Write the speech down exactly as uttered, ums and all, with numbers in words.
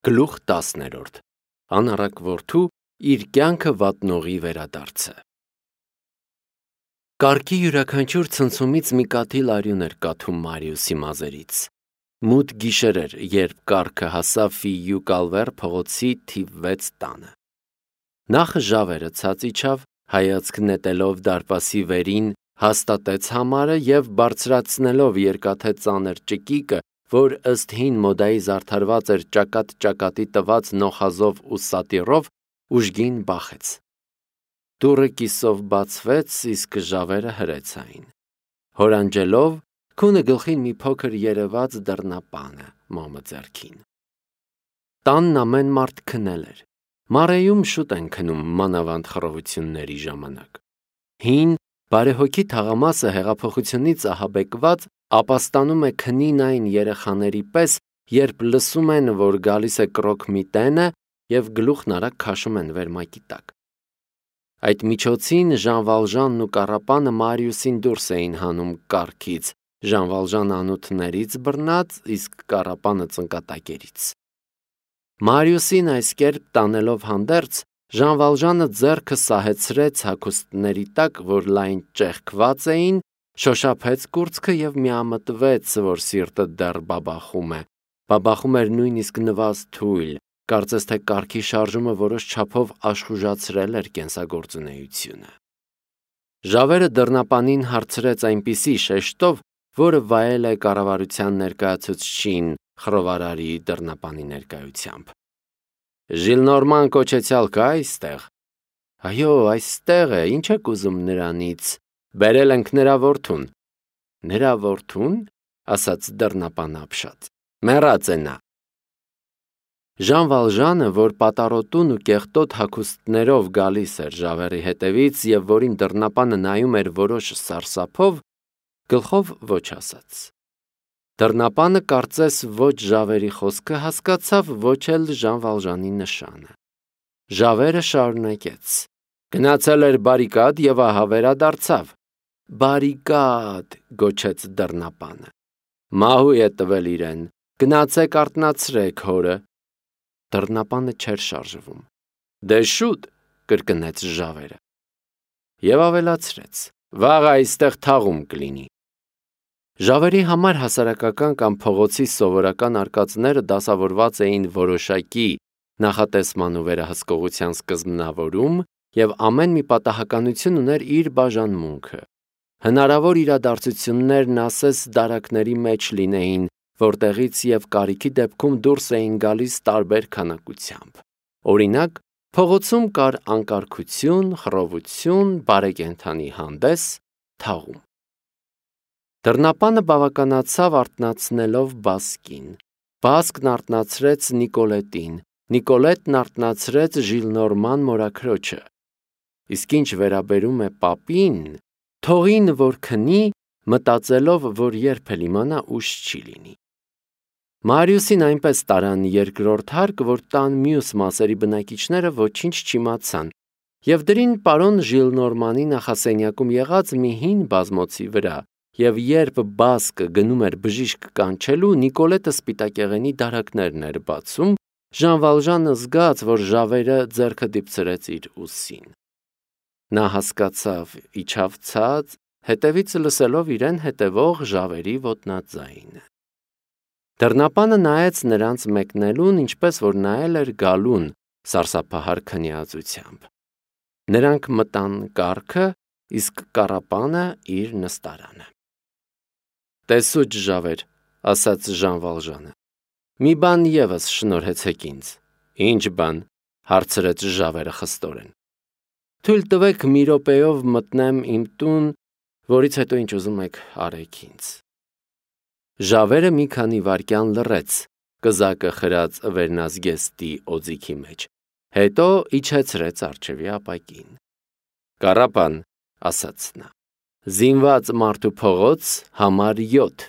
Գլուխ տասներորդ Անառակ որդու իր կյանքը վատնողի վերադարձը։ Կառքի յուրաքանչյուր ցնցումից մի կաթիլ արյուն էր կաթում Մարիուսի մազերից։ Մութ գիշեր էր, երբ կառքը հասավ Ֆիյու Կալվեր փողոցի թիվ վեց տանը։ Նախ ժավերը ցած իջավ, հայացք նետելով դարպասի վերին, հաստատեց համարը և բարձրացնելով երկաթե ծանր ճկիկը, որ ըստ հին մոդայի զարդարված էր ճակատ-ճակատի տված նոխազով ու սատիրով, ուժգին բախեց։ Դուռը կիսով բացվեց, իսկ ժավերը հրեց այն։ Հորանջելով, քունը գլխին մի փոքր երևաց դռնապանը, մոմը ձեռքին։ Տանն ամեն մարդ քնել էր։ Մարեում շուտ են քնում մանավանդ խռովությունների ժամանակ։ Հին, բարեհոգի թաղամասը հեղափոխությունից ահաբեկված ապաստանում է քնին այն երեխաների պես, երբ լսում են, որ գալիս է կրոկ մի տենը և գլուխն արագ քաշում են վերմակի տակ։ Այդ միջոցին Ժան Վալժանն ու Կառապանը Մարիուսին դուրս էին հանում կառքից, Ժան Վալժանը անոթներից բռնած, իսկ Կառապանը ծնկատակերից։ Մարիուսին այս կերպ տանելով հանդերձ, Ժան Վալժանը ձեռքը սահեցրեց հագուստների տակ, որ լայն ճեղքված էին, շոշափեց կուրծքը և միամտվեց, որ սիրտը դեռ բաբախում է, բաբախում էր նույնիսկ նվազ թույլ, կարծես թե կառքի շարժումը որոշ չափով աշխուժացրել էր կենսագործունեությունը։ Ժավերը դռնապանին հարցրեց այնպիսի շեշտով, որը վայել է կառավարության ներկայացուցչին խռովարարի դռնապանի ներկայությամբ։ Ժիլնորման կոչեցյալ կա այստեղ։ Այո, այստեղ է, ինչ եք ուզում նրանից։ Բերել ենք նրա որդուն։ Նրա որդուն, ասաց դռնապանը ապշած։ Մեռած է նա։ Ժան Վալժանը, որ պատառոտուն ու կեղտոտ հագուստներով գալիս էր ժավերի հետևից և որին դռնապանը նայում էր որոշ սարսափով, գլխով ոչ ասաց։ Դռնապանը կարծես ոչ ժավերի խոսքը հասկացավ, ոչ էլ Ժան Վալժանի նշանը։ Ժավերը շարունակեց. Գնացել էր բարիկադ և ահա վերադարձավ։ Բարիկադ, գոչեց դռնապանը։ Մահու է տվել իրեն, գնացեք արթնացրեք հորը։ Դռնապանը չէր շարժվում։ Դե շուտ, կրկնեց ժավերը։ Եվ ավելացրեց. Վաղ այստեղ թաղում կլինի։ Ժավերի համար հասարակական կամ փողոցի սովորական արկածները դասավորված էին որոշակի նախատեսման ու վերահսկողության սկզբնավորում և ամեն մի պատահականություն ուներ իր բաժանմունքը։ Հնարավոր իրադարձություններն ասես դարակների մեջ լինեին, որտեղից և կարիքի դեպքում դուրս էին գալիս տարբեր քանակությամբ։ Օրինակ, փողոցում կար անկարգություն, խռովություն, բարեկենդանի հանդես, թաղում։ Դռնապանը բավականացավ արթնացնելով Բասկին։ Բասկն արթնացրեց Նիկոլետին, Նիկոլետն արթնացրեց Ժիլնորման մորաքրոջը։ Իսկ ինչ վերաբերում է պապին, թողին, որ քնի, մտածելով, որ երբ էլ իմանա, ուշ չի լինի։ Մարիուսին այնպես տարան երկրորդ հարկ, որ տան մյուս մասերի բնակիչները ոչինչ չիմացան և դրին պարոն Ժիլնորմանի նախասենյակում եղած մի հին բազմոցի վրա, և երբ Բասկը գնում էր բժիշկ կանչելու, Նիկոլետը սպիտակեղենի դարակներն էր բացում, Ժան Վալժանը զգաց, որ ժավերը ձեռքը դիպցրեց իր ուսին։ Նա հասկացավ, իջավ ցած, հետևից լսելով իրեն հետևող ժավերի ոտնաձայնը։ Դռնապանը նայեց նրանց մեկնելուն, ինչպես որ նայել էր գալուն, սարսափահար քնիածությամբ։ Նրանք մտան կառքը, իսկ Կառապանը իր նստարանը։ Տեսուչ ժավեր, ասաց Ժան Վալժանը։ Մի բան ևս շնորհեցեք ինձ։ Ինչ բան, հարցրեց ժավերը խստորեն։ Թույլ տվեք մի րոպեով մտնեմ իմ տուն, որից հետո ինչ ուզում եք արեք ինձ։ Ժավերը մի քանի վայրկյան լռեց, կզակը խրած վերնազգեստի օձիքի մեջ, հետո իջեցրեց առջևի ապակին։ Կառապան, ասաց նա, զինված մարդու փողոց, համար յոթ։